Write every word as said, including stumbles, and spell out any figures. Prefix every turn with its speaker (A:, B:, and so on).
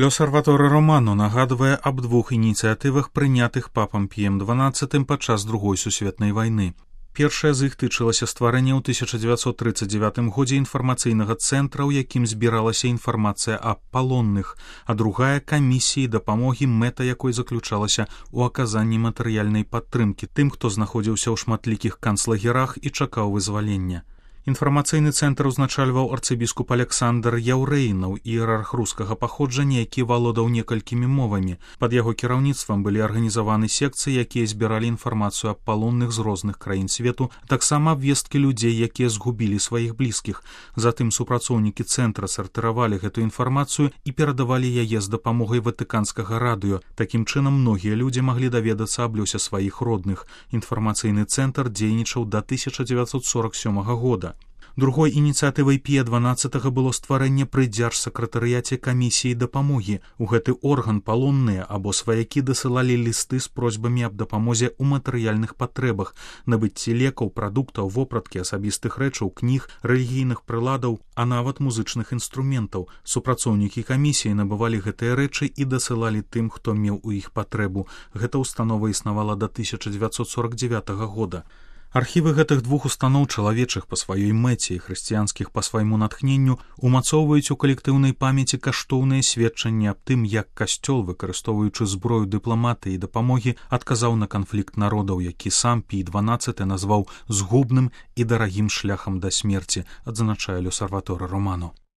A: L'Osservatore Romano нагадвае аб двух ініцыятывах, прынятых папам Піем дванаццатым падчас другой сусветнай вайны. Першая з іх тычылася стварэння ў тысяча дзевяцьсот трыццаць дзевятым годзе інфармацыйнага цэнтра, у якім збіралася інфармацыя аб палонных, а другая камісіі дапамогі, мэта якой заключалася ў аказанні матэрыяльнай падтрымкі тым, хто знаходзіўся ў шматлікіх канцлагерах і чакаў вызвалення. Інфармацыйны цэнтр узначальваў арцыбіскуп Александр Яўрэйнаў, іерарх рускага паходжання, які валодаў некалькімі мовамі. Пад яго кіраўніцтвам былі арганізаваны секцыі, якія збіралі інфармацыю аб палонных з розных краін свету, таксама абвесткі людзей, якія згубілі сваіх блізкіх. Затым супрацоўнікі цэнтра сартыравалі гэту інфармацыю і перадавалі яе з дапамогай ватыканскага радыё. Такім чынам многія людзі маглі даведацца аб лёсе сваіх родных. Інфармацыйны цэнтр дзейнічаў да тысяча дзевяцьсот сорок сёмага года. Другой ініцыятывай Пія дванаццатага было стварэнне пры дзяржсакратарыяце камісіі дапамогі. У гэты орган палонныя або сваякі дасылалі лісты з просьбамі аб дапамозе ў матэрыяльных патрэбах, набыцці лекаў, прадуктаў, вопраткі, асабістых рэчаў, кніг, рэлігійных прыладаў, а нават музычных інструментаў. Супрацоўнікі камісіі набывалі гэтыя рэчы і дасылалі тым, хто меў у іх патрэбу. Гэта ўстанова існавала да тысяча дзевяцьсот сорак дзевятага года. Архівы гэтых двух устаноў, чалавечых па сваёй мэце і хрысціянскіх па свайму натхненню, умацоўваюць у калектыўнай памяці каштоўныя сведчанні аб тым, як касцёл, выкарыстоўваючы зброю дыпламатыі і дапамогі, адказаў на канфлікт народаў, які сам Пій дванаццаты назваў згубным і дарагім шляхам да смерці, адзначае L'Osservatore Romano.